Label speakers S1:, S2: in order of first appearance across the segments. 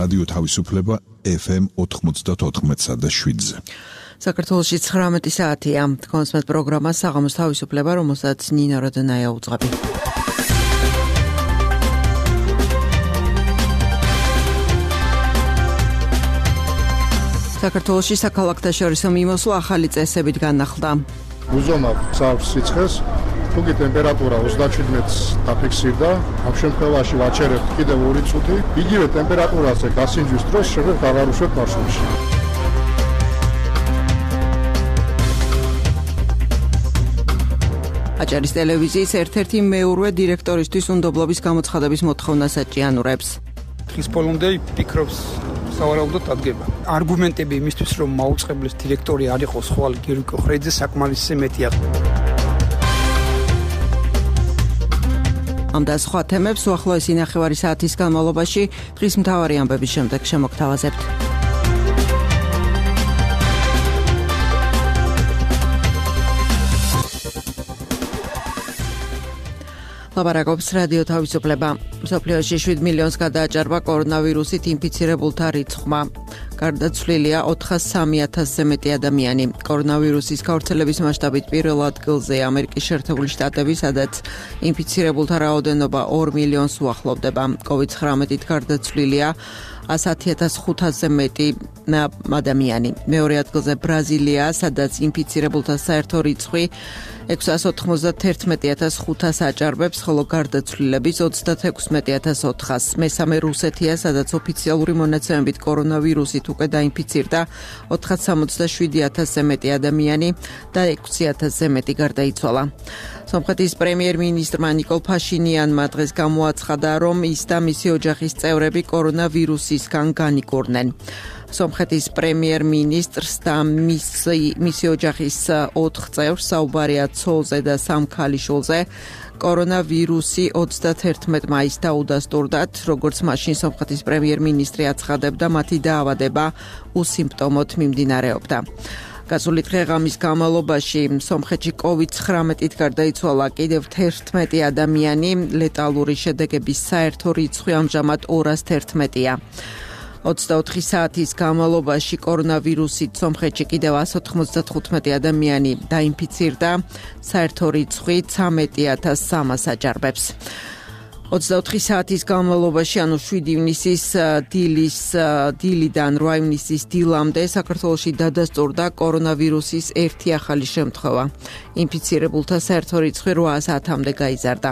S1: რადიო თავისუფლება FM 94.7-ზე.
S2: საქართველოში 19 საათია. კონსმეთ პროგრამა საღამოს თავისუფლება, რომელსაც ნინა როდენაია უძღვები. საქართველოში საქალაქთაშორისო მიმოსვლა ახალი წესებით განახლდა.
S3: უზომავ წავს სიცხეს, თუკი ტემპერატურა 37-ს დაფიქსირდა, ამ შემთხვევაში ვაჩერებთ კიდევ 2 წუთი, იგივე ტემპერატურაზე გასინჯვის დროს შეგვიძლია დავარუშვებთ მარშრუტში.
S2: აჭარის ტელევიზიის ერთ-ერთი მეურვე დირექტორისთვის უნდობლობის გამოცხადების მოთხოვნას აჭიანურებს.
S4: დღის ბოლომდე ფიქრობს სავარაუდოდ ადგება. არგუმენტები იმისთვის, რომ მაუწყებლის დირექტორი არ იყოს ხვალ გიორგი კოხრეიძე, საკმარისზე მეტია.
S2: ამ და სხვა თემებს უახლოესი ნახევარი საათის განმავლობაში დღის მთავარი ამბების შემდეგ შემოგთავაზებთ. ლაპარაკობს რადიო თავისუფლება. მსოფლიოში 7 მილიონს გადააჭარბა კორონავირუსით ინფიცირებულთა რიცხვმა. გარდაცვლილია 403,000-ზე მეტი ადამიანი. კორონავირუსის გავრცელების მასშტაბით პირველ ადგილზე ამერიკის შეერთებული შტატები, სადაც ინფიცირებულთა რაოდენობა 2 მილიონს უახლოვდება. COVID-19-ით გარდაცვლილია 110,500-ზე მეტი ადამიანი. მეორე ადგილზე ბრაზილია, სადაც ინფიცირებულთა საერთო რიცხვი 691,500 აჭარბებს, ხოლო გარდაცვლილების 36,400. მესამე რუსეთია, სადაც ოფიციალური მონაცემებით კორონავირუსით უკვე დაინფიცირდა 467,000-ზე მეტი ადამიანი და 6,000-ზე მეტი გარდაიცვალა. სომხეთის პრემიერ-მინისტრმა ნიკოლ ფაშინიანმა დღეს გამოაცხადა, რომ ის და მისი ოჯახის წევრები კორონავირუსისგან განიკურნენ. სომხეთის პრემიერ-მინისტრს და მისი ოჯახის 4 წევრს, საუბარია ცოლზე და 3 ქალიშვილზე, კორონავირუსი 31 მაისს დაუდასტურდათ, როგორც მაშინ სომხეთის პრემიერ-მინისტრი აცხადებდა, მათი დაავადება უსიმპტომოდ მიმდინარეობდა. გასული დღე-ღამის განმავლობაში სომხეთში COVID-19-ით გარდაიცვალა კიდევ 11 ადამიანი, ლეტალური შედეგების საერთო რიცხვი ამჟამად 211-ია. 24 საათის განმავლობაში კორონავირუსით სომხეთში კიდევ 195 ადამიანი დაინფიცირდა, საერთო რიცხვი 13,300 აჭარბებს. 24 საათის განმავლობაში, ანუ 7 ივნისის დილიდან 8 ივნისის დილამდე საქართველოში დადასტურდა კორონავირუსის ერთი ახალი შემთხვევა. ინფიცირებულთა საერთო რიცხვი 800-მდე გაიზარდა.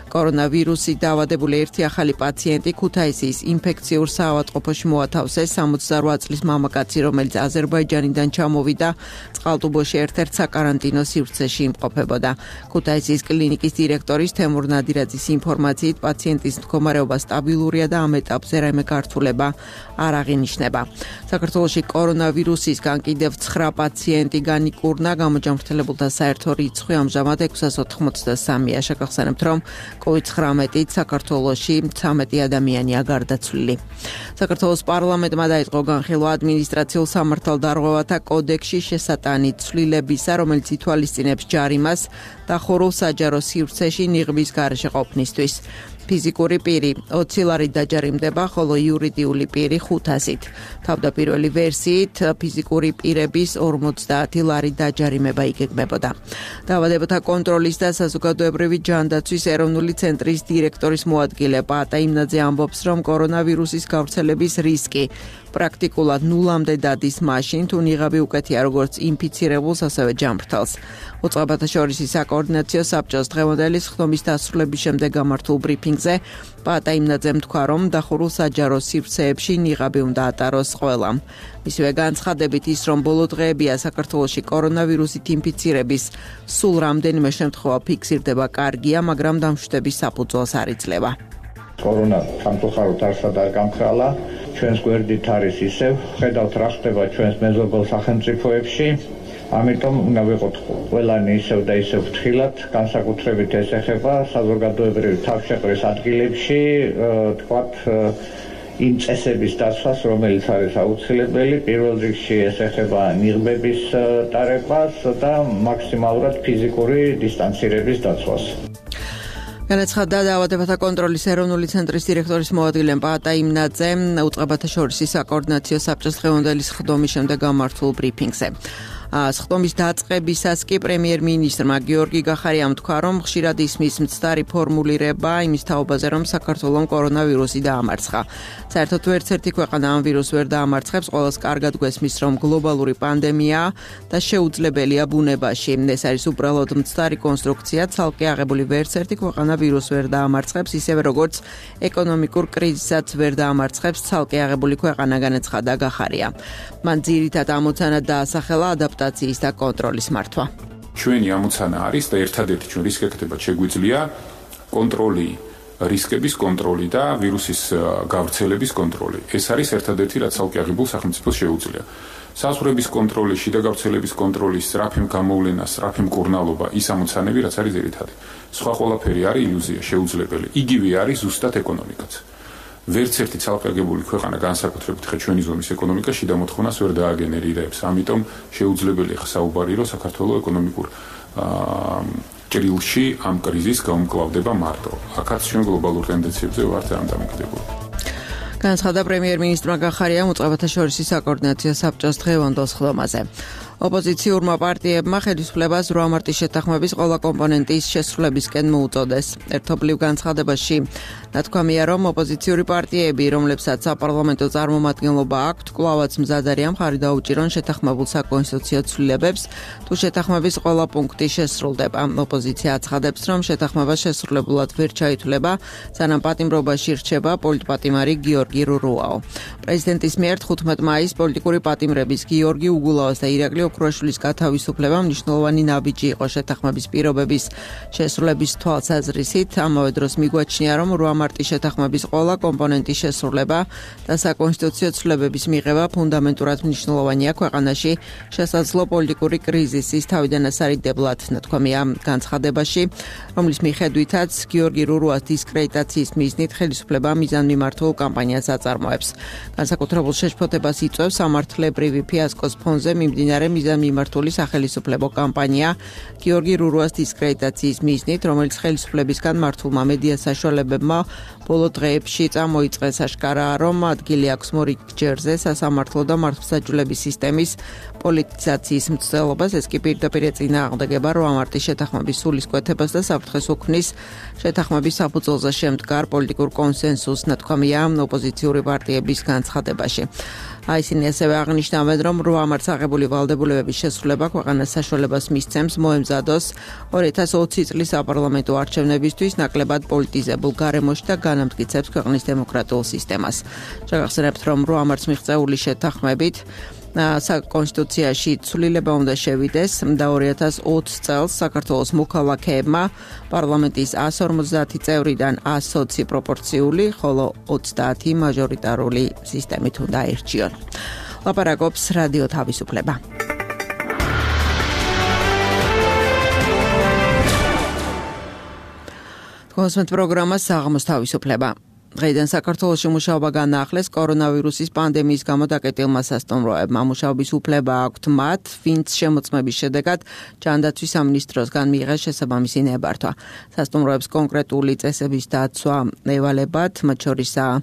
S2: კორონავირუსით დაავადებული ერთი ახალი პაციენტი ქუთაისის ინფექციურ საავადმყოფოში მოათავსეს. 68 წლის მამაკაცი, რომელიც აზერბაიჯანიდან ჩამოვიდა, წყალტუბოში ერთ-ერთ საკარანტინო სივრცეში იმყოფებოდა. ქუთაისის კლინიკის დირექტორის თემურ ნადირაძის ინფორმაციით, პაციენტის მდგომარეობა სტაბილურია და ამ ეტაპზე რაიმე გართულება არ აღინიშნება. საქართველოში კორონავირუსისგან კიდევ 9 პაციენტი განიკურნა, გამოჯანმრთელებულთა საერთო რიცხვი ამჟამად 683-ია. შეგახსენებთ, რომ COVID-19-ით საქართველოში 13 ადამიანია გარდაცვლილი. საქართველოს პარლამენტმა დაიწყო განხილვა ადმინისტრაციულ სამართალდარღვევათა კოდექსში შესატანით ცვლილებისა, რომელიც ითვალისწინებს ჯარიმას დახურულ საჯარო სივრცეში ნიღბის გარეშე ყოფნისთვის. ფიზიკური პირი 20 ლარით დაჯარიმდება, ხოლო იურიდიული პირი 500-ით. თავდაპირველი ვერსიით ფიზიკური პირების 50 ლარით დაჯარიმება იგეგმებოდა. დაავადებათა კონტროლის და საზოგადოებრივი ჯანდაცვის ეროვნული ცენტრის დირექტორის მოადგილე პაატა იმნაძე ამბობს, რომ კორონავირუსის გავრცელების რისკი პრაქტიკულად ნულამდე დადის მაშინ, თუ ნიღაბი უკეთია როგორც ინფიცირებულს, ასევე ჯანმრთელს. უწყებათა შორის საკოორდინაციო საბჭოს დღევანდელი ხდომის დასრულების შემდეგ გამართულ ბრიფინგზე პაატა იმნაძემ თქვა, რომ დახურულ საჯარო სივრცეებში ნიღაბი უნდა ატაროს ყველამ. მისივე განცხადებით ის, რომ ბოლო დღეებია საქართველოში კორონავირუსით ინფიცირების სულ რამდენიმე შემთხვევა ფიქსირდება, კარგია, მაგრამ დამშვიდების საფუძველს არ იძლევა.
S5: კორონა სამწუხაროდ არსად არ გამხრალა, ჩვენს გვერდით არის ისევ, ხედავთ რა ხდება ჩვენს მეზობელ სახელმწიფოებში. ამიტომ უნდა ვიყოთ ყველანი ისევ და ისევ ფრთხილად, განსაკუთრებით ეს ეხება საზოგადოებრივი თავშეყრის ადგილებში, თქვათ იმ წესების დაცვას, რომელიც არის აუცილებელი. პირველ რიგში ეს ეხება ნიღბების ტარებას და მაქსიმალურად ფიზიკური დისტანცირების დაცვას.
S2: განაცხადა დაავადებათა კონტროლის ეროვნული ცენტრის დირექტორის მოადგილე პაატა იმნაძე უწყებათა შორის საკოორდინაციო საბჭოს დღევანდელი სხდომის შემდეგ გამართულ ბრიფინგზე. სხდომის დაწყებისას კი პრემიერ-მინისტრმა გიორგი გახარიამ თქვა, რომ ხშირად ისმის მცდარი ფორმულირება იმის თაობაზე, რომ საქართველოს კორონავირუსი დაამარცხა. საერთოდ ერთ-ერთი ქვეყანა ამ ვირუსს ვერ დაამარცხებს, ყველას კარგად გვესმის, რომ გლობალური პანდემიაა და შეუძლებელია ბუნებაში. ეს არის უბრალოდ მცდარი კონსტრუქცია, ცალკე აღებული ვერც-ერთი ქვეყანა ვირუსს ვერ დაამარცხებს, ისევე როგორც ეკონომიკურ კრიზისაც ვერ დაამარცხებს ცალკე აღებული ქვეყანა, განაცხადა გახარია. მან ძირითად ამოცანა დაასახელა ადაპტაციის და კონტროლის მართვა.
S6: ჩვენი ამოცანა არის და ერთადერთი ჩვენ რისკებად შეგვიძლია კონტროლი, რისკების კონტროლი და ვირუსის გავრცელების კონტროლი. ეს არის ერთადერთი, რაც ცალკე აღებულ სახელმწიფოს შეუძლია. საზღვრების კონტროლი, შიდა გავრცელების კონტროლი, სწრაფი გამოვლენა, სწრაფი მკურნალობა, ის ამოცანები, რაც არის ძირითადი. სხვა ყველაფერი არის ილუზია, შეუძლებელი. იგივე არის ზუსტად ეკონომიკაც. ვერც ერთი ცალკე აღებული ქვეყანა განსაკუთრებით ხე ჩვენი ზონის ეკონომიკა შიდა მოთხოვნას ვერ დააგენერირებს. ამიტომ შეუძლებელია საუბარი, რომ საქართველოს ეკონომიკურ ჭრილში ამ კრიზისს გაუმკლავდება მარტო. აქაც ჩვენ გლობალურ ტენდენციებზე ვართ ამ დამოკიდებული.
S2: განაცხადა პრემიერ-მინისტრმა გახარიამ უწყებათა შორის საკოორდინაციო საბჭოს დღევანდელ სხდომაზე. ოპოზიციურმა პარტიებმა ხელისუფლებას 8 მარტის შეთანხმების ყველა კომპონენტის შესრულებისკენ მოუწოდეს. ერთობლივ განცხადებაში ნათქვამია, რომ ოპოზიციური პარტიები, რომლებსაც საპარლამენტო წარმომადგენლობა აქვთ, კვლავაც მზად არიან მხარი დაუჭირონ შეთანხმებულ საკონსტიტუციო ცვლილებებს, თუ შეთანხმების ყველა პუნქტი შესრულდება. ოპოზიცია აცხადებს, რომ შეთანხმება შესრულებულად ვერ ჩაითვლება, სანამ პატიმრობაში რჩება პოლიტპატიმარი გიორგი რურუაო. პრეზიდენტის მიერ 15 მაისს პოლიტიკური პატიმრების გიორგი უგულაოს და ირაკლი ოქროაშვილის გათავისუფლება მნიშვნელოვანი ნაბიჯი იყო შეთანხმების პირობების შესრულების თვალსაზრისით. ამავე დროს მიგვაჩნია, რომ 8 მარტის შეთანხმების ყველა კომპონენტის შესრულება და საკონსტიტუციო ცვლილებების მიღება ფუნდამენტურად მნიშვნელოვანია ქვეყანაში შესაძლო პოლიტიკური კრიზისის თავიდან ასარიდებლად, ნათქვამია განცხადებაში, რომლის მიხედვითაც გიორგი რურუას დისკრედიტაციის მიზნით ხელისუფლება მიზანმიმართულ კამპანიას აწარმოებს. განსაკუთრებულ შეშფოთებას იწვევს სამართლებრივი ფიასკოს ფონზე მიმდინარე მიზანმიმართული სახელისუფლებო კამპანია გიორგი რურუას დისკრედიტაციის მიზნით, რომელიც ხელისუფლებისგან მართულმა მედია საშუალებებმა ბოლო დღეებში წამოიწყეს. აშკარაა, რომ ადგილი აქვს მორიგჯერზე სასამართლო და მართლმსაჯულების სისტემის პოლიტიზაციის მცდელობას. ეს კი პირდაპირ ეწინააღმდეგება 8 მარტის შეთანხმების სულისკვეთებას და საფრთხეს უქმნის შეთანხმების საფუძველზე შემდგარ პოლიტიკურ კონსენსუსს, ნათქვამია ოპოზიციური პარტიების განცხადებაში. ისინი ასევე აღნიშნავენ, რომ 8 მარტს აღებული ვალდებულებების შესრულება ქვეყანას საშუალებას მისცემს მოემზადოს 2020 წლის საპარლამენტო არჩევნებისთვის ნაკლებად პოლიტიზებულ გარემოში და განამტკიცებს ქვეყნის დემოკრატიულ სისტემას. შეგახსენებთ, რომ 8 მარტს მიღწეული შეთანხმებით საკონსტიტუციაში ცვლილება უნდა შევიდეს და 2020 წელს საქართველოს მოქალაქეებმა პარლამენტის 150 წევრიდან 120 პროპორციული, ხოლო 30 მაჟორიტარული სისტემით უნდა აირჩიონ. ლაპარაკობს რადიო თავისუფლება. კონსმეთ პროგრამა საღამოს თავისუფლება. დღეიდან საქართველოში მუშაობა განაახლეს კორონავირუსის პანდემიის გამო დაკეტილმა სასტუმროებმა. მუშაობის უფლება აქვთ მათ, ვინც შემოწმების შედეგად ჯანდაცვის სამინისტროსგან მიიღეს შესაბამისი ნებართვა. სასტუმროებს კონკრეტული წესების დაცვა ევალებათ, მათ შორისაა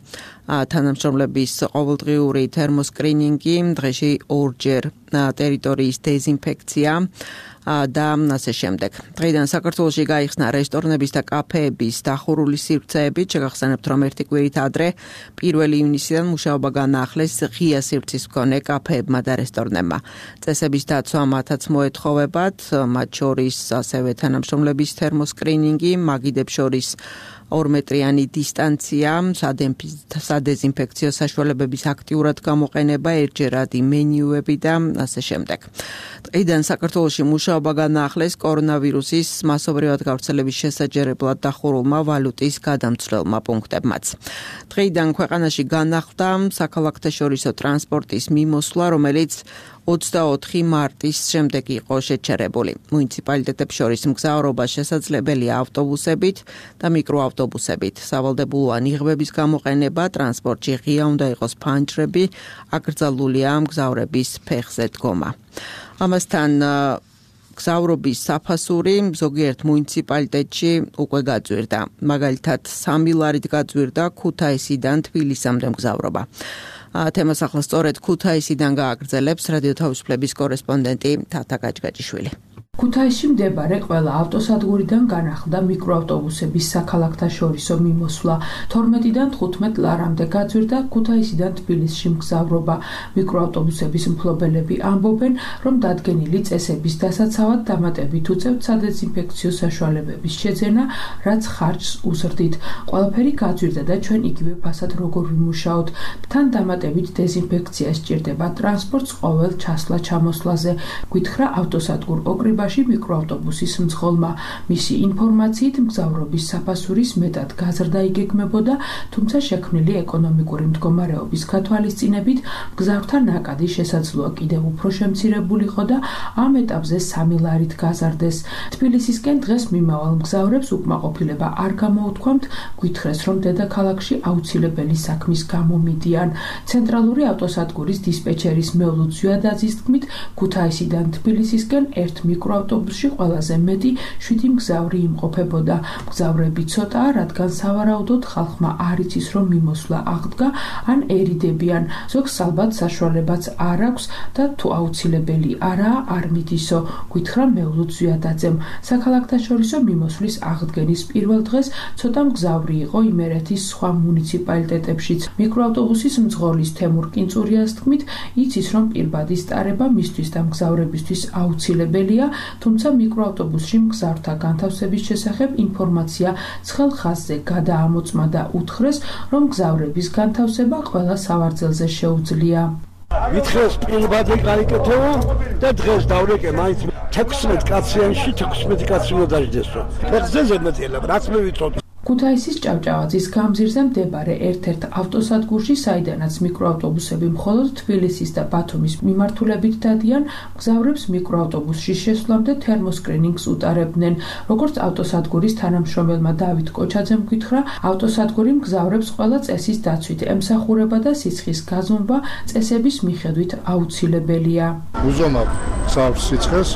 S2: თანამშრომლების ყოველდღიური თერმოსკრინინგი, დღეში 2ჯერ ტერიტორიის დეზინფექცია და ასე შემდეგ. დღეიდან საქართველოში გაიხსნა რესტორნების და კაფეების დახურული სივრცეებით. შეგახსენებთ, რომ ერთი კვირით ადრე 1 ივნისიდან მუშაობა განაახლეს ღია სივრცის მქონე კაფეებმა და რესტორნებმა. წესების დაცვა მათაც მოეთხოვებათ, მათ შორის ასევე თანამშრომლების თერმოსკრინინგი, მაგიდებს შორის 2 მეტრიანი დისტანცია, სადეზინფექციო საშუალებების აქტიურად გამოყენება, ერთჯერადი მენიუები და ასე შემდეგ. დღეიდან საქართველოში მუშაობა განაახლეს კორონავირუსის მასობრივად გავრცელების შესაჯერებლად დახურულმა ვალუტის გადამცვლელმა პუნქტებმაც. დღეიდან ქვეყანაში განახლდა საქალაქთაშორისო ტრანსპორტის მიმოსვლა, რომელიც 24 მარტის შემდეგ იყო შეჩერებული. მუნიციპალიტეტებს შორის მგზავრობა შესაძლებელია ავტობუსებით და მიკროავტობუსებით. სავალდებულოა ნიღბების გამოყენება, ტრანსპორტში ღია უნდა იყოს ფანჯრები, აკრძალულია მგზავრების ფეხზე დგომა. ამასთან მგზავრობის საფასური ზოგიერთ მუნიციპალიტეტში უკვე გაძვირდა. მაგალითად, 3 ლარით გაძვირდა ქუთაისიდან თბილისამდე მგზავრობა. თემას ახლა სწორედ ქუთაისიდან გააგრძელებს რადიო თავისუფლების კორესპონდენტი თათა გაჭგაჭიშვილი.
S7: ქუთაისში მდებარე ყველა ავტოსადგურიდან განახლდა მიკროავტობუსების საქალაქთაშორისო მიმოსვლა. 12-დან 15 ლარამდე გაძვირდა ქუთაისიდან თბილისში მგზავრობა. მიკროავტობუსების მფლობელები ამბობენ, რომ დადგენილი წესების დასაცავად დამატებით უწევთ სადეზინფექციო საშუალებების შეძენა, რაც ხარჯს უზრდით. ყველაფერი გაძვირდა და ჩვენ იგივე ფასად როგორ ვიმუშაოთ. თან დამატებით დეზინფექცია სჭირდება ტრანსპორტს ყოველ ჩასვლა-ჩამოსვლაზე, გითხრა ავტოსადგურ ოკრიბაში მიკროავტობუსის მძღოლმა. მისი ინფორმაციით მგზავრობის საფასურის მეტად გაზრდა იგეგმებოდა, თუმცა შექმნილი ეკონომიკური მდგომარეობის გათვალისწინებით მგზავრთა ნაკადი შესაძლოა კიდევ უფრო შემცირებულიყო და ამ ეტაპზე 3 ლარით გაზარდეს. თბილისისკენ დღეს მიმავალ მგზავრებს უკმაყოფილება არ გამოუთქვამთ, გითხრეს, რომ დედაქალაქში აუცილებელი საქმის გამო მიდიან. ცენტრალური ავტოსადგურის დისპეჩერის მეულუძ ზვიადაძის თქმით, ქუთაისიდან თბილისისკენ ერთ მიკროავტობუსში ყველაზე მეტი 7 მგზავრი იმყოფებოდა. მგზავრები ცოტაა, რადგან სავარაუდოდ ხალხმა არ იცის, რომ მიმოსვლა აღდგა ან ერიდებიან. ზოგს ალბათ საშუალებაც არ აქვს და თუ აუცილებელი არაა, არ მიდისო, გითხრა მეულუძ ზვიადაძემ. საქალაქთაშორისო მიმოსვლის აღდგენის პირველ დღეს ცოტა მგზავრი იყო იმერეთის სხვა მუნიციპალიტეტებშიც. მიკროავტობუსის მძღოლის თემურ კინწურიას თქმით, იცის, რომ პირბადი სტარება მისთვის და მგზავრებისთვის აუცილებელია, თუმცა მიკროავტობუსში მგზავრთა განთავსების შესახებ ინფორმაცია ცხელ ხაზზე გადაამოწმა და უთხრეს, რომ მგზავრების განთავსება ყველა სავარძელზე შეუძლია.
S8: ვითხრეს პირბადი გაიკეთება და დღეს დავრეკე მაინც 16 კაციანში 16 კაცი უნდა დაждესო. ფეხზე ზედმეტილა, რაც მე ვიცოდი.
S7: ქუთაისის ჭავჭავაძის გამზირზე მდებარე ერთ-ერთ ავტოსადგურში, საიდანაც მიკროავტობუსები მხოლოდ თბილისის და ბათუმის მიმართულებით დადიან, მგზავრებს მიკროავტობუსში შესვლამდე თერმოსკრინინგს უტარებდნენ. როგორც ავტოსადგურის თანამშრომელმა დავით კოჩაძემ გითხრა, ავტოსადგური მგზავრებს ყველა წესის დაცვით ემსახურება და სიცხის გაზომვა წესების მიხედვით აუცილებელია.
S3: უზომავ მგზავრს სიცხეს,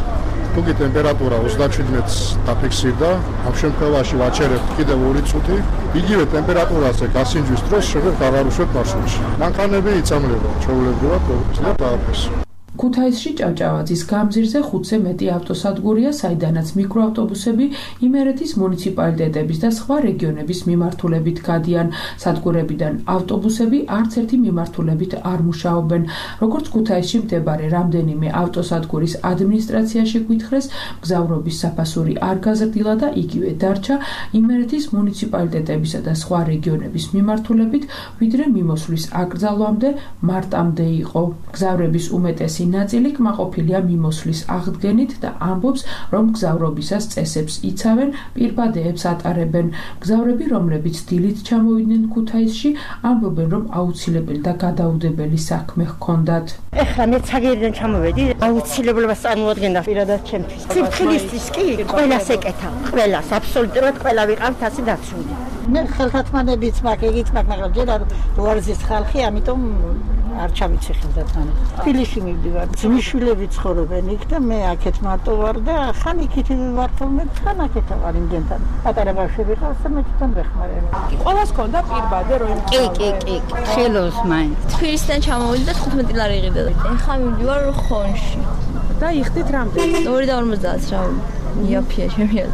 S3: თუკი ტემპერატურა 37-ს დაფიქსირდა, ამ შემთხვევაში ვაჩერებთ კიდევ 2 წუთი, იგივე ტემპერატურაზე გასინჯვის დროს შეგვიძლია გავარუშვებთ მარშრუტში. მანქანები იწამლება, ჩვეულებრივად და დააფეს.
S7: ქუთაისში ჭავჭავაძის გამზირზე 5-ზე მეტი ავტოსადგურია, საიდანაც მიკროავტობუსები იმერეთის მუნიციპალიტეტების და სხვა რეგიონების მიმართულებით გადიან. სადგურებიდან ავტობუსები არც ერთი მიმართულებით არ მუშაობენ. როგორც ქუთაისში მდებარე რამდენიმე ავტოსადგურის ადმინისტრაციაში გითხრეს, მგზავრობის საფასური არ გაზრდილა და იგივე დარჩა იმერეთის მუნიციპალიტეტებისა და სხვა რეგიონების მიმართულებით, ვიდრე მიმოსვლის აკრძალვამდე მარტამდე იყო. მგზავრების უმეტესი ნაწილი კმაყოფილია მიმოსვლის აღდგენით და ამბობს, რომ მგზავრობისას წესებს იცავენ, პირბადეებს ატარებენ. მგზავრები, რომლებიც დილით ჩამოვიდნენ ქუთაისში, ამბობენ, რომ აუცილებელი და გადაუდებელი საქმე ჰქონდათ.
S9: ეხლა მე ცაგერიდან ჩამოვედი, აუცილებლობას წარმოადგენდა პირადად ჩემთვის. სიფხილისთვის კი ყველას ეკეთა, ყველას, აბსოლუტურად ყველა ვიყავთ ასე დაცული. მე ხელთათმანებიც მაქვს, ეგიც მაქვს, მაგრამ ჯერ არ უარზის ხალხი, ამიტომ არ ჩავიცი ხელთათმანებს. თბილისში მივდივარ, ძმისშვილები ცხოვრობენ იქ და მე აქეთ მარტო ვარ და ხან იქით ვარ ხოლმე, ხან აქეთ ვარ იმდენთან. პატარა ბავშვები ყავს და მე თვითონ ვეხმარებ.
S7: ყველას ჰქონდა პირბადე რომ
S9: კი, ხელოს მაინც.
S10: თბილისიდან ჩამოვიდი და 15 ლარი იყიდა. ეხლა მივდივარ ხონში.
S7: და იხდით რამდენი?
S10: 2.50 რა. იაფია შემია.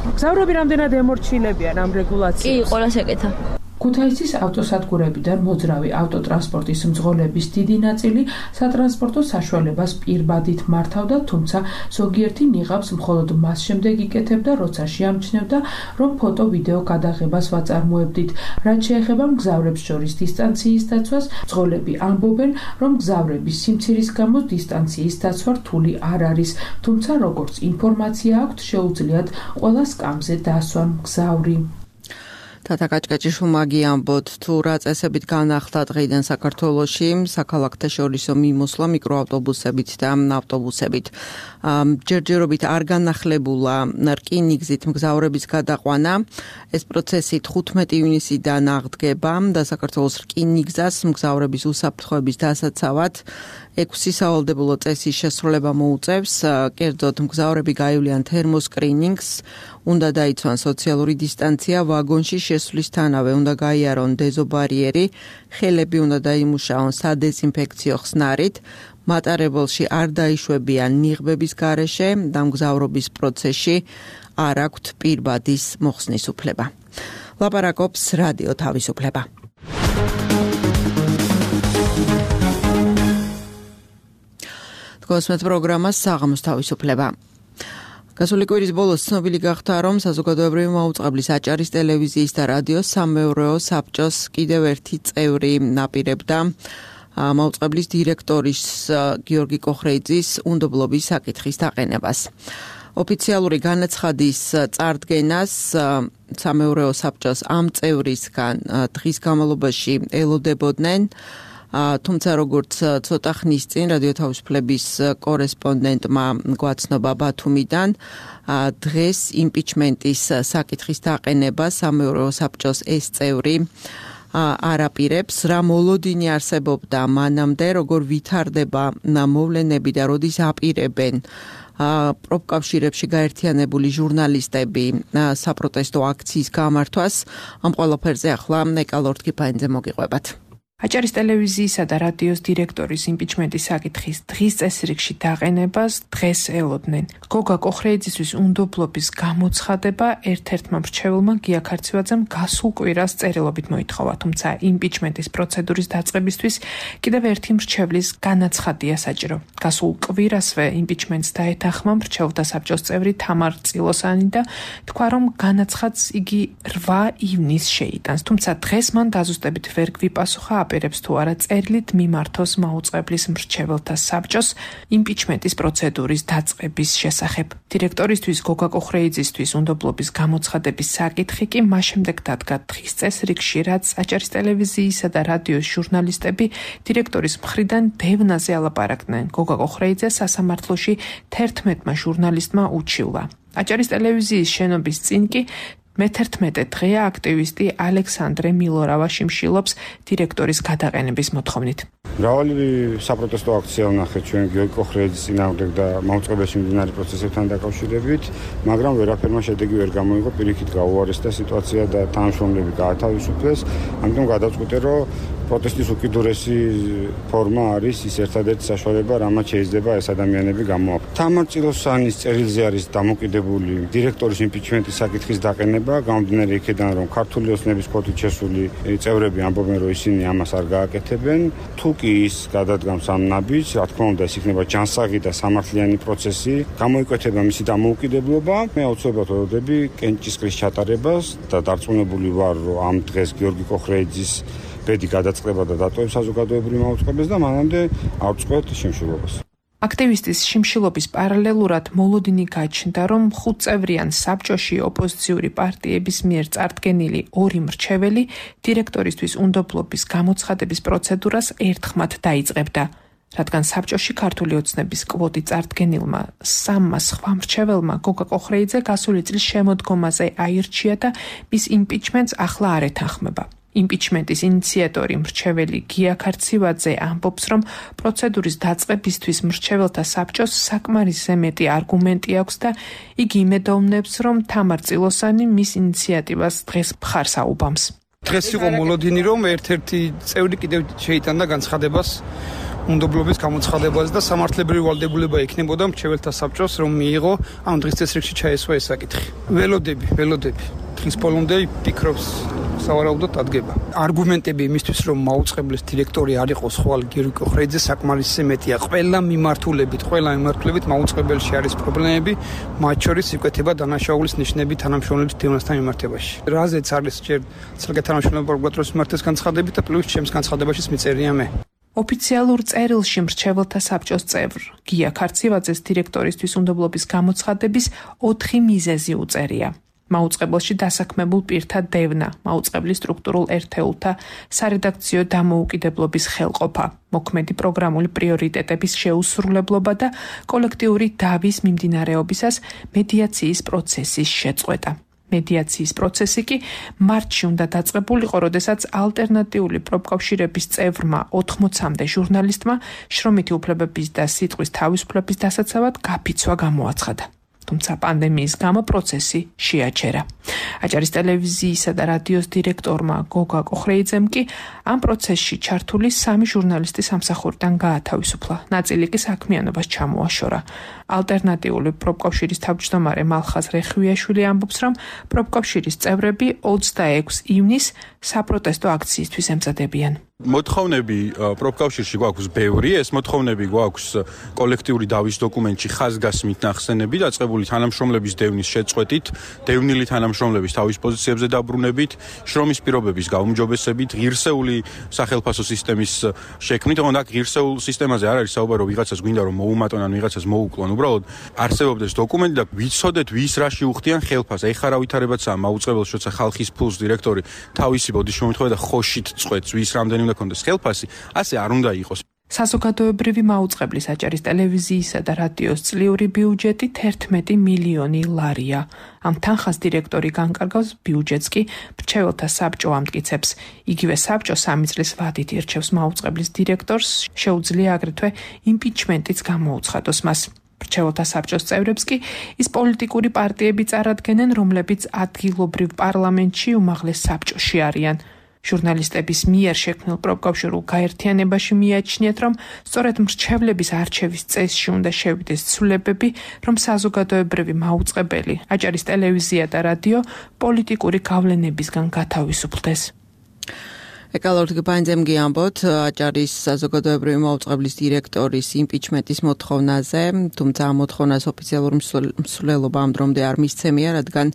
S7: მგზავრები რამდენად ემორჩილებიან ამ რეგულაციას?
S10: კი, ყველას ეკეთა.
S7: ქუთაისის ავტოსადგურებიდან მოძრავი ავტოტრანსპორტის მძღოლების დიდი ნაწილი სატრანსპორტო საშუალებას პირბადით მართავდა, თუმცა ზოგიერთი ნიღაბს მხოლოდ მას შემდეგ იკეთებდა, როცა შეამჩნევდა, რომ ფოტო-ვიდეო გადაღებას ვაწარმოებდით. რაც შეეხება მგზავრებს შორის დისტანციის დაცვას, მძღოლები ამბობენ, რომ მგზავრების სიმცირის გამო დისტანციის დაცვა რთული არ არის, თუმცა როგორც ინფორმაცია აქვთ, შეუძლიათ ყველა სკამზე დასვან მგზავრი.
S2: თათა გაჭგაჭიშვილმა ამბობთ, თუ რა წესებით განახლდა დღეიდან საქართველოში საქალაქთაშორისო მიმოსვლა მიკროავტობუსებით და ავტობუსებით. ჯერჯერობით არ განახლებულა რკინიგზით მგზავრების გადაყვანა. ეს პროცესი 15 ივნისიდან აღდგება და საქართველოს რკინიგზას მგზავრების უსაფრთხოების დასაცავად 6 სავალდებულო წესის შესრულება მოუწევს, კერძოდ მგზავრები გაივლიან თერმოსკრინინგს, უნდა დაიცვან სოციალური დისტანცია, ვაგონში შესვლისთანავე უნდა გაიარონ დეზობარიერი, ხელები უნდა დაიმუშაონ სადეზინფექციო ხსნარით, მატარებელში არ დაიშვებიან ნიღბების გარეშე და მგზავრობის პროცესში არ აქვთ პირბადის მოხსნის უფლება. ლაპარაკობს რადიო თავისუფლება. კოსმეთ პროგრამას საღამოს თავისუფლება. გასული კვირის ბოლოს ცნობილი გახდა, რომ საზოგადოებრივი მაუწყებლის აჭარის ტელევიზიის და რადიოს სამეურვეო საბჭოს კიდევ ერთი წევრი ნაპირებდა მაუწყებლის დირექტორის გიორგი კოხრეიძის უნდობლობის საკითხის დაყენებას. ოფიციალური განაცხადის წარდგენას სამეურვეო საბჭოს ამ წევრისგან დღის განმავლობაში ელოდებოდნენ, თუმცა როგორც ცოტა ხნის წინ რადიო თავისუფლების კორესპონდენტმა გვაცნობა ბათუმიდან, დღეს იმპიჩმენტის საკითხის დაყენება სამეურვეო საბჭოს ეს წევრი არ აპირებს, რა მოლოდინი არსებობდა მანამდე, როგორ ვითარდება მოვლენები და როდის აპირებენ პროფკავშირებში გაერთიანებული ჟურნალისტები საპროტესტო აქციის გამართვას. ამ ყველაფერზე ახლა ნეკალორთკიფაინძე მოგიყვებათ.
S7: აჭარის ტელევიზიისა და რადიოს დირექტორის იმპიჩმენტის საკითხის დღის წესრიგში დაყენებას დღეს ელოდნენ. გოგა კოხრეიძისთვის უნდობლობის გამოცხადება ერთ-ერთმა მრჩეველმა გია ქარცივაძემ გასულ კვირას წერილობით მოითხოვა, თუმცა იმპიჩმენტის პროცედურის დაწყებისთვის კიდევ ერთი მრჩევლის განაცხადია საჭირო. გასულ კვირასვე იმპიჩმენტს დაეთანხმა მრჩეველთა საბჭოს წევრი თამარ წილოსანი და თქვა, რომ განაცხადს იგი 8 ივნისს შეიტანს, თუმცა დღეს მან დაზუსტებით ვერ გვიპასუხა აპირებს თუ არა წერილით მიმართოს მაუწყებლის მრჩეველთა საბჭოს იმპიჩმენტის პროცედურის დაწყების შესახებ. დირექტორისთვის გოგა კოხრეიძისთვის უნდობლობის გამოცხადების საკითხი კი მას შემდეგ დადგა დღის წესრიგში, რაც აჭარის ტელევიზიისა და რადიოს ჟურნალისტები დირექტორის მხრიდან დევნაზე ალაპარაკდნენ. გოგა კოხრეიძე სასამართლოში 11-მა ჟურნალისტმა უჩივლა. აჭარის ტელევიზიის შენობის წინ კი მე-11 დღეა აქტივისტი ალექსანდრე მილორავა შიმშილობს დირექტორის გადაყენების მოთხოვნით.
S11: მრავალი საპროტესტო აქცია ვნახეთ ჩვენ გიორგი კოხრეიძის წინააღმდეგ და მაუწყებელში მიმდინარე პროცესებთან დაკავშირებით, მაგრამ ვერაფერმა შედეგი ვერ გამოიღო, პირიქით გაუარესდა სიტუაცია და თანამშრომლები გაათავისუფლეს. ამიტომ გადავწყვიტე, რომ პროტესტის უკიდურესი ფორმა არის ის ერთადერთი საშუალება, რამაც შეიძლება ეს ადამიანები გამოაქვთ. თამარ წილოსანის წერილზე არის დამოკიდებული დირექტორის იმპიჩმენტის საკითხის დაყენება, გამომდინარე იქედან, რომ ქართული ოცნების კოდით შესული წევრები ამბობენ, რომ ისინი ამას არ გააკეთებენ. თუ კი ის გადადგამს ამ ნაბიჯს, რა თქმა უნდა, ეს იქნება ჯანსაღი და სამართლიანი პროცესი, გამოიკვეთება მისი დამოუკიდებლობა. მე აუცილებლად ვველოდები კენჭისყრის ჩატარებას და დარწმუნებული ვარ, რომ ამ დღეს გიორგი კოხრეიძის ბედი გადაწყდება და დატოვებს საზოგადოებრივ მაუწყებელს და მანამდე არ წყვეტ შიმშილობას.
S7: აქტივისტის შიმშილობის პარალელურად მოლოდინი გაჩნდა, რომ 5 წევრიან საბჭოში ოპოზიციური პარტიების მიერ წარდგენილი 2 მრჩეველი დირექტორისთვის უნდობლობის გამოცხადების პროცედურას ერთხმად დაიწყებდა. რადგან საბჭოში ქართული ოცნების კვოტი წარდგენილმა 3 სხვა მრჩეველმა გოგა კოხრეიძე გასული წლის შემოდგომაზე აირჩია და მის იმპიჩმენტს ახლა არ ეთანხმება. იმპიჩმენტის ინიციატორი მრჩეველი გია ქარცივაძე ამბობს, რომ პროცედურის დაწყებისთვის მრჩეველთა საბჭოს საკმარისზე მეტი არგუმენტი აქვს და იგი იმედოვნებს, რომ თამარ წილოსანი მის ინიციატივას დღეს მხარს აუბამს.
S4: დღეს იყო მოლოდინი, რომ ერთ-ერთი წევრი კიდევ შეიტანდა განცხადებას უნდობლობის გამოცხადებას და სამართლებრივი ვალდებულება ექნებოდა მრჩეველთა საბჭოს, რომ მიიღო ამ დღის წესრიგში ჩაესვა ეს საკითხი. ველოდები. დღის ბოლომდე ფიქრობს სავარაუდოდ დადგება. არგუმენტები იმისთვის, რომ მაუწყებლის დირექტორი არ იყოს ხვალ გიორგი კოხრეიძე, საკმარისზე მეტია. ყველა მიმართულებით მაუწყებელში არის პრობლემები, მათ შორის იკვეთება დანაშაულის ნიშნები თანამშრომლების დევნასთან მიმართებაში. რაზეც არის ჯერ საგანმანათლებლო პროკურატურის მიმართეს განცხადებით და პლუს ჩემს განცხადებაშიც მიწერია მე.
S7: ოფიციალურ წერილში მრჩეველთა საბჭოს წევრ გია ქარცივაძეს დირექტორისთვის უნდობლობის გამოცხადების 4 მიზეზი უწერია. მაუწყებელში დასაქმებულ პირთა დევნა, მაუწყებლის სტრუქტურულ ერთეულთა სარედაქციო დამოუკიდებლობის ხელყოფა, მოქმედი პროგრამული პრიორიტეტების შეუსრულებლობა და კოლექტიური დავის მიმდინარეობისას მედიაციის პროცესის შეწყვეტა. მედიაციის პროცესი კი მარტში უნდა დაწყებულიყო, როდესაც ალტერნატიული პროფკავშირების წევრმა 80-მდე ჟურნალისტმა შრომითი უფლებების და სიტყვის თავისუფლების დასაცავად გაფიცვა გამოაცხადა. თუმცა პანდემიის გამო პროცესი შეაჩერა. აჭარის ტელევიზიისა და რადიოს დირექტორმა გოგა კოხრეიძემ კი ამ პროცესში ჩართული 3 ჟურნალისტი სამსახურიდან გაათავისუფლა. ნაწილი კი საქმიანობას ჩამოაშორა. ალტერნატიული პროფკავშირის თავმჯდომარე მალხაზ რეხვიაშვილი ამბობს, რომ პროფკავშირის წევრები 26 ივნისს საპროტესტო აქციისთვის ემზადებიან.
S12: მოთხოვნები პროფკავშირში გვაქვს ბევრი, ეს მოთხოვნები გვაქვს კოლექტიური დავის დოკუმენტში ხაზგასმით ნახსენები, დაწყებული თანამშრომლების დევნის შეწყვეტით, დევნილი თანამშრომლების თავის პოზიციებზე დაბრუნებით, შრომის პირობების გაუმჯობესებით, ღირსეული სახელფასო სისტემის შექმნით, თუმცა ღირსეულ სისტემაზე არ არის საუბარი, რომ ვიღაცას გვინდა რომ მოუმატონ ან ვიღაცას მოუკლონ, უბრალოდ არსებობდეს დოკუმენტი და ვიცოდეთ ვის რაში უხდიან ხელფასს. ეხლა რა ვითარებაცაა მაუწყებელს, როცა ხალხის ფულს დირექტორი თავისი ბოდიშ მომთხოვდა და ხოშით წყვეტს, ვის რამდენი უნდა კონდეს ხელფასი, ასე არ უნდა იყოს.
S7: საზოგადოებრივი მაუწყებლის აჭარის ტელევიზიისა და რადიოს წლიური ბიუჯეტი 11 მილიონი ლარია. ამ თანხას დირექტორი განკარგავს, ბიუჯეტს კი მრჩეველთა საბჭო ამტკიცებს. იგივე საბჭო 3 წლის ვადით ირჩევს მაუწყებლის დირექტორს, შეუძლია აგრეთვე იმპიჩმენტიც გამოუცხადოს მას. მრჩეველთა საბჭოს წევრებს კი ის პოლიტიკური პარტიები წარადგენენ, რომლებიც ადგილობრივ პარლამენტში უმაღლეს საბჭოში არიან. ჟურნალისტების მიერ შექმნილ პროფკავშირულ გაერთიანებაში მიაჩნიათ, რომ სწორედ მრჩევლების არჩევის წესში უნდა შევიდეს ცვლილებები, რომ საზოგადოებრივი მაუწყებელი აჭარის ტელევიზია და რადიო პოლიტიკური გავლენებისგან გათავისუფლდეს.
S2: ეკალორთი პანძემ გიამბოთ აჭარის საზოგადოებრივი მაუწყებლის დირექტორის იმპიჩმენტის მოთხოვნაზე, თუმცა ამ მოთხოვნას ოფიციალური მსვლელობა ამ დრომდე არ მისცემია, რადგან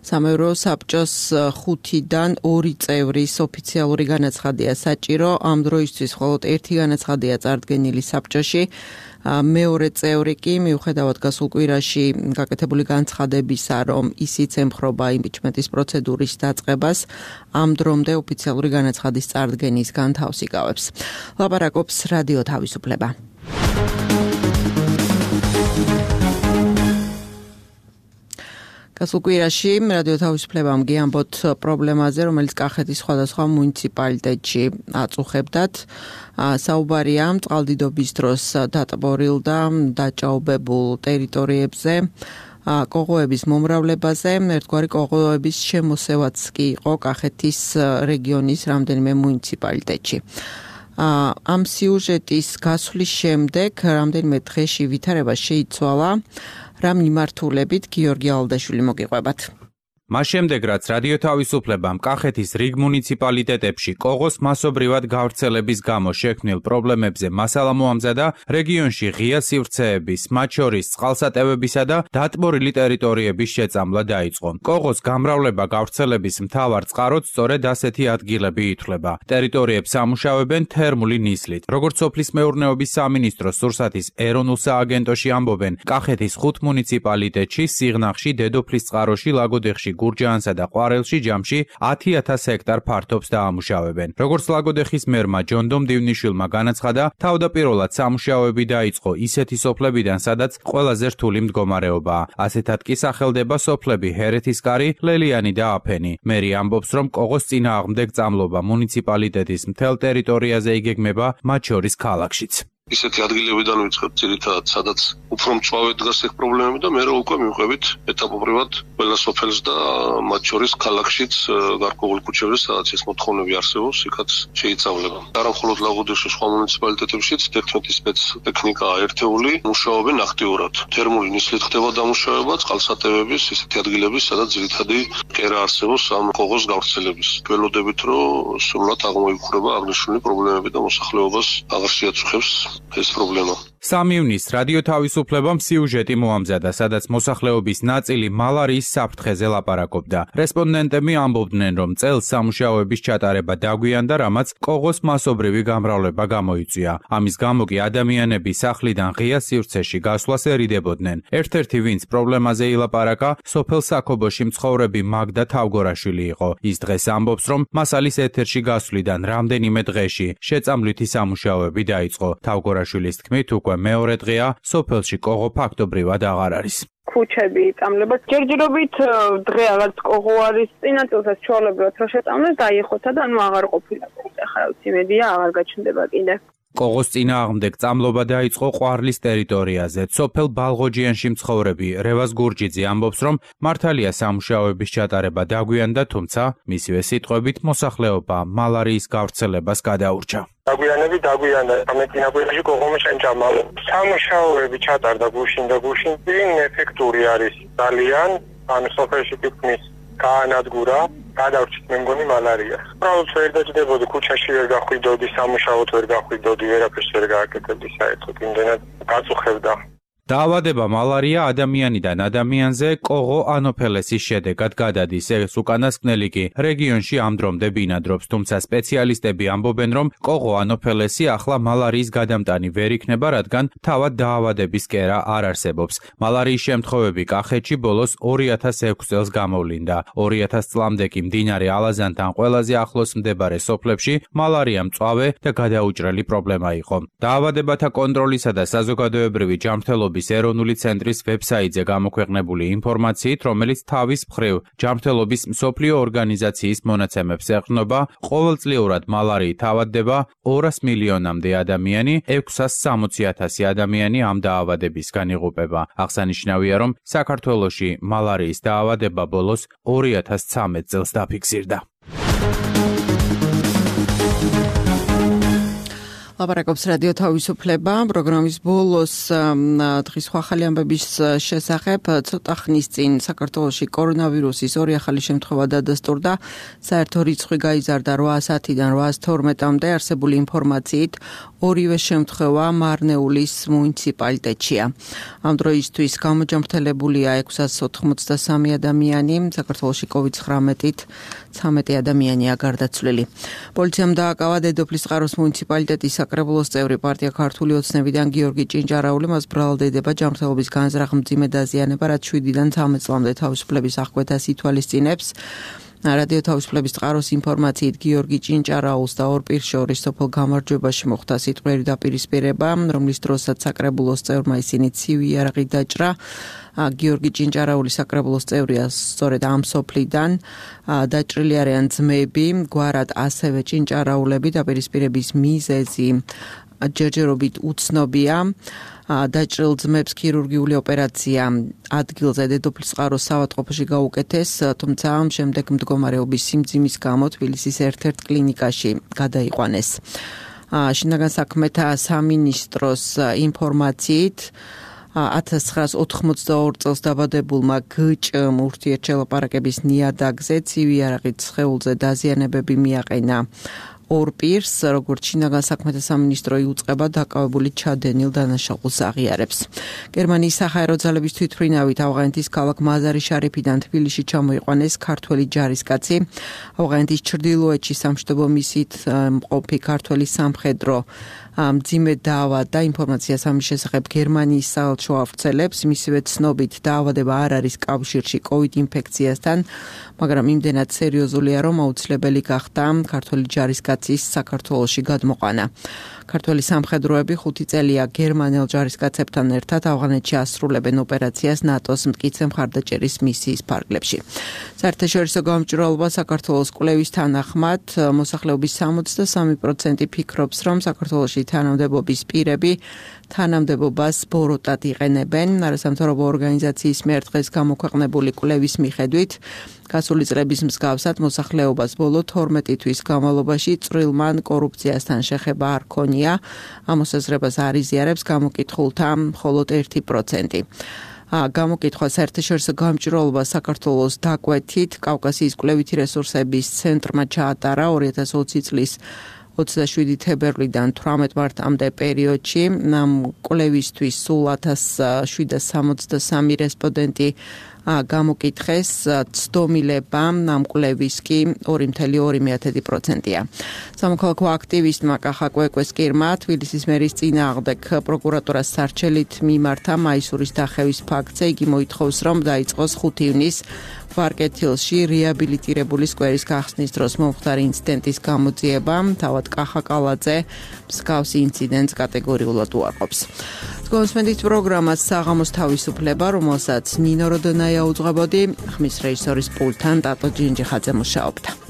S2: სამეურვეო საბჭოს 5-დან 2 წევრის ოფიციალური განაცხადია საჭირო. ამ დროისთვის მხოლოდ 1 განაცხადია წარდგენილი საბჭოში. მეორე წევრი კი მიუხედავად გასულ კვირაში გაკეთებული განცხადებისა, რომ ისიც ემხრობა იმპიჩმენტის პროცედურის დაწყებას, ამ დრომდე ოფიციალური განაცხადის წარდგენისგან თავს იკავებს. ლაპარაკობს რადიო თავისუფლება. გასულ კვირაში რადიო თავისუფლებამ გიამბოთ პრობლემაზე, რომელიც კახეთის სხვადასხვა მუნიციპალიტეტში აწუხებდათ. საუბარია წყალდიდობის დროს დატბორილ და დაჭაობებულ ტერიტორიებზე, კოღოების მომრავლებაზე, ერთგვარი კოღოების შემოსევაც კი იყო კახეთის რეგიონის რამდენიმე მუნიციპალიტეტში. ამ სიუჟეტის გასვლის შემდეგ რამდენიმე დღეში ვითარება შეიცვალა. რა მიმართულებით გიორგი ალდაშვილი მოგიყვებათ.
S13: მას შემდეგ, რაც რადიო თავისუფლებამ კახეთის რიგ მუნიციპალიტეტებში კოღოს მასობრივად გავრცელების გამო შექმნილ პრობლემებზე მასალა მოამზადა, რეგიონში ღია სივრცეების, მათ შორის წყალსატევებისა და დატბორილი ტერიტორიების შეწამლა დაიწყო. კოღოს გამრავლება გავრცელების მთავარ წყაროდ სწორედ ასეთი ადგილები ითვლება. ტერიტორიებს ამუშავებენ თერმული ნისლით. როგორც სოფლის მეურნეობის სამინისტროს სურსათის ეროვნულ სააგენტოში ამბობენ, კახეთის 5 მუნიციპალიტეტში, სიღნაღში, დედოფლის წყაროში, ლაგოდეხში, გურჯაანსა და ყვარელში ჯამში 10,000 ჰექტარ ფართობს დაამუშავებენ. როგორც ლაგოდეხის მერმა ჯონდომ დივნიშვილმა განაცხადა, თავდაპირველად სამუშაოები დაიწყო ისეთი სოფლებიდან, სადაც ყველაზე რთული მდგომარეობაა. ასეთად კი სახელდება სოფლები ჰერეთისკარი, ლელიანი და აფენი. მერი ამბობს, რომ კოღოს წინააღმდეგ წამლობა მუნიციპალიტეტის მთელ ტერიტორიაზე იგეგმება, მათ შორის ქალაქშიც.
S14: ისეთი ადგილებიდან ვიწყებთ ძირითადად, სადაც უფრო მწვავე დგას ეგ პრობლემები და მე უკვე მივყვებით ეტაპობრივად ყველა სოფელს და მათ შორის ქალაქშიც გარკვეულ ქუჩებზე, სადაც ეს მოთხოვნები არსებობს, იქაც შეიცავლება. არა მხოლოდ ლაგოდეხში, სხვა მუნიციპალიტეტებშიც 11 სპეცტექნიკაა ერთეული, მუშაობენ აქტიურად. თერმული ნისლით ხდება დამუშავება, წყალსატევების ისეთი ადგილების, სადაც ძირითადი კერა არსებობს ამ კოღოს გავრცელების. გველოდებით, რომ სრულად აღმოიფხვრება აღნიშნული პრობლემები და მოსახლეობას აღარ შეაწუხებს ეს პრობლემა.
S13: 3 ივნისს რადიო თავისუფლებამ სიუჟეტი მოამზადა, სადაც მოსახლეობის ნაწილი მალარიის საფრთხეზე ლაპარაკობდა. რესპონდენტები ამბობდნენ, რომ წელს სამუშაოების ჩატარება დაგვიანდა, რამაც კოღოს მასობრივი გამრავლება გამოიწვია. ამის გამო კი ადამიანები სახლიდან ღია სივრცეში გასვლას ერიდებოდნენ. ერთ-ერთი, ვინც პრობლემაზე ილაპარაკა, სოფელ საქობოში მცხოვრები მაგდა თავგორაშვილი იყო. ის დღეს ამბობს, რომ მასალის ეთერში გასვლიდან რამდენიმე დღეში შეწამლვითი სამუშაოები დაიწყო. თავგორაშვილის თქმით, უკვე მეორე დღეა სოფელში კოღო ფაქტობრივად აღარ არის.
S15: ქუჩები იწამლება. ჯერჯერობით დღე რაღაც კოღო არის წინა წელსაც ჩვეულებრივად რო შეწამლეს დაიხოთა და აღარ ყოფილა. ახლა იმედია აღარ გაჩნდება კიდე.
S13: კოღოს წინააღმდეგ წამლობა დაიწყო ყვარლის ტერიტორიაზე. სოფელ ბალღოჯიანში მცხოვრები რევაზ გურჯიძე ამბობს, რომ მართალია სამუშაოების ჩატარება დაგვიანდა, თუმცა მისივე სიტყვებით მოსახლეობა მალარიის გავრცელებას გადაურჩა.
S16: დაგვიანდა. ამეტინაბულებაში კოღომი შეჭამა. სამუშაოები ჩატარდა გუშინ და გუშინ ეფექტური არის ძალიან. ან სოფელში თითქმის გაანადგურა. გადავრჩით მე მგონი მალარიას. უბრალოდ ვერ დაჭდებოდი, ქუჩაში ვერ გახვიდოდი, სამუშაოდ ვერ გახვიდოდი, ვერაფერს ვერ გააკეთებდი საერთოდ, იმდენად გაწუხებდა.
S13: დაავადება მალარია ადამიანიდან ადამიანზე კოღო ანოფელესის შედეგად გადადის. ეს უკანასკნელი კი რეგიონში ამ დრომდე ბინადრობს, თუმცა სპეციალისტები ამბობენ, რომ კოღო ანოფელესი ახლა მალარიის გადამტანი ვერ იქნება, რადგან თავად დაავადების კერა არ არსებობს. მალარიის შემთხვევები კახეთში ბოლოს 2006 წელს გამოვლინდა. 2000 წლამდე კი მდინარე ალაზანთან ყველაზე ახლოს მდებარე სოფლებში მალარია მწვავე და გადაუჭრელი პრობლემა იყო. დაავადებათა კონტროლისა და საზოგადოებრივი ჯანმრთელობის ეროვნული ცენტრის ვებსაიტზე გამოქვეყნებული ინფორმაციით, რომელიც თავის მხრივ ჯანმრთელობის მსოფლიო ორგანიზაციის მონაცემებს ეყრდნობა, ყოველწლიურად მალარიით ავადდება 200 მილიონამდე ადამიანი, 660,000 ადამიანი ამ დაავადებისგან იღუპება. აღსანიშნავია, რომ საქართველოში მალარიის დაავადება ბოლოს 2013 წელს დაფიქსირდა.
S2: ლაპარაკობს რადიო თავისუფლება. პროგრამის ბოლოს დღის ახალი ამბების შესახებ ცოტა ხნის წინ საქართველოში კორონავირუსის ორი ახალი შემთხვევა დადასტურდა. საერთო რიცხვი გაიზარდა 810-დან 812-მდე. არსებული ინფორმაციით ორივე შემთხვევა მარნეულის მუნიციპალიტეტშია. ამ დროისთვის გამოჯამრთელებულია 683 ადამიანი. საქართველოში COVID-19-ით 13 ადამიანია გარდაცვლილი. პოლიციამ დააკავა დედოფლის წყაროს მუნიციპალიტეტის საკრებულოს წევრი პარტია ქართული ოცნებიდან გიორგი ჭინჭარაული. მას ბრალდება ჯანმრთელობის განზრახ მძიმე დაზიანება, რაც 7-დან 13 წლამდე თავისუფლების აღკვეთას ითვალისწინებს. რადიო თავისუფლების წყაროს ინფორმაციით გიორგი ჭინჭარაულს და ორ პირს შორის სოფელ გამარჯვებაში მოხდა სიტყვიერი დაპირისპირება, რომლის დროსაც საკრებულოს წევრმა ისინი ცივი იარაღით დაჭრა. გიორგი ჭინჭარაული საკრებულოს წევრია სწორედ ამ სოფლიდან. დაჭრილი არიან ძმები, გვარად ასევე ჭინჭარაულები. დაპირისპირების მიზეზი ჯერჯერობით უცნობია. დაჭრილ ძმებს ქირურგიული ოპერაცია ადგილზე დედოფლის წყაროს საავადმყოფოში გაუკეთეს, თუმცა ამ შემდეგ მდგომარეობის სიმძიმის გამო თბილისის ერთ-ერთ კლინიკაში გადაიყვანეს. შინაგან საქმეთა სამინისტროს ინფორმაციით 1982 წელს დაბადებულმა გ.ჭ.მ ურთიერთშელაპარაკების ნიადაგზე ცივი იარაღით სხეულზე დაზიანებები მიაყენა. ორ პირს, როგორც შინაგან საქმეთა სამინისტრო იუწყება, დაკავებული ჩადენილ დანაშაულს აღიარებს. გერმანიის საჰაერო ძალების თვითმფრინავით ავღანეთის ქალაქ მაზარი-შარიფიდან თბილისში ჩამოიყვანეს ქართველი ჯარისკაცი. ავღანეთის ჩრდილოეთში სამშვიდობო მისიით მყოფი ქართველი სამხედრო მძიმე დაავადდა. ინფორმაციას ამის შესახებ გერმანიის საელჩო ავრცელებს. მისივე ცნობით დაავადება არ არის კავშირში COVID ინფექციასთან, მაგრამ იმდენად სერიოზულია, რომ აუცილებელი გახდა ქართველი ჯარისკაცის საქართველოში გადმოყვანა. ქართველი სამხედროები 5 წელია გერმანელ ჯარისკაცებთან ერთად ავღანეთში ასრულებენ ოპერაციას ნატოს მტკიცე მხარდაჭერის მისიის ფარგლებში. საერთაშორისო გამჭვირვალობა საქართველოს კვლევის თანახმად მოსახლეობის 63% ფიქრობს, რომ საქართველოში თანამდებობის პირები თანამდებობას ბოროტად იყენებენ. არასამთავრობო ორგანიზაციის მიერ დღეს გამოქვეყნებული კვლევის მიხედვით გასული წლების მსგავსად მოსახლეობას ბოლო 12 თვის განმავლობაში წვრილმან კორუფციასთან შეხება არ ქონია. ამ მოსაზრებას არ იზიარებს გამოკითხულთა მხოლოდ 1%. გამოკითხვა საერთაშორისო გამჭვირვალობა საქართველოს დაკვეთით კავკასიის კვლევითი რესურსების ცენტრმა ჩაატარა 2020 წლის 27 თებერვლიდან 18 მარტამდე პერიოდში. კვლევისთვის სულ 1763 რესპონდენტი გამოკითხეს, ცდომილება ამ კვლევის კი 2.2%-ია. სამოქალაქო აქტივისტმა კახა კვეკვესკირმა თბილისის მერის წინააღმდეგ პროკურატურას სარჩელით მიმართა მაისურის დახევის ფაქტზე. იგი მოითხოვს, რომ დაიწყოს 5 ივნის ვარკეთილში რეაბილიტირებული სკვერის გახსნის დროს მომხდარი ინციდენტის გამოძიება თავად კახაკალაძე მსგავსი ინციდენტს კატეგორიულად უარყოფს. კონსმენდით პროგრამას საღამოს თავისუფლება, რომელსაც ნინო როდონაია უძღვებოდი, ხმის რეჟისორის პულტთან ტატო ჯინჯიხაძე მუშაობდა.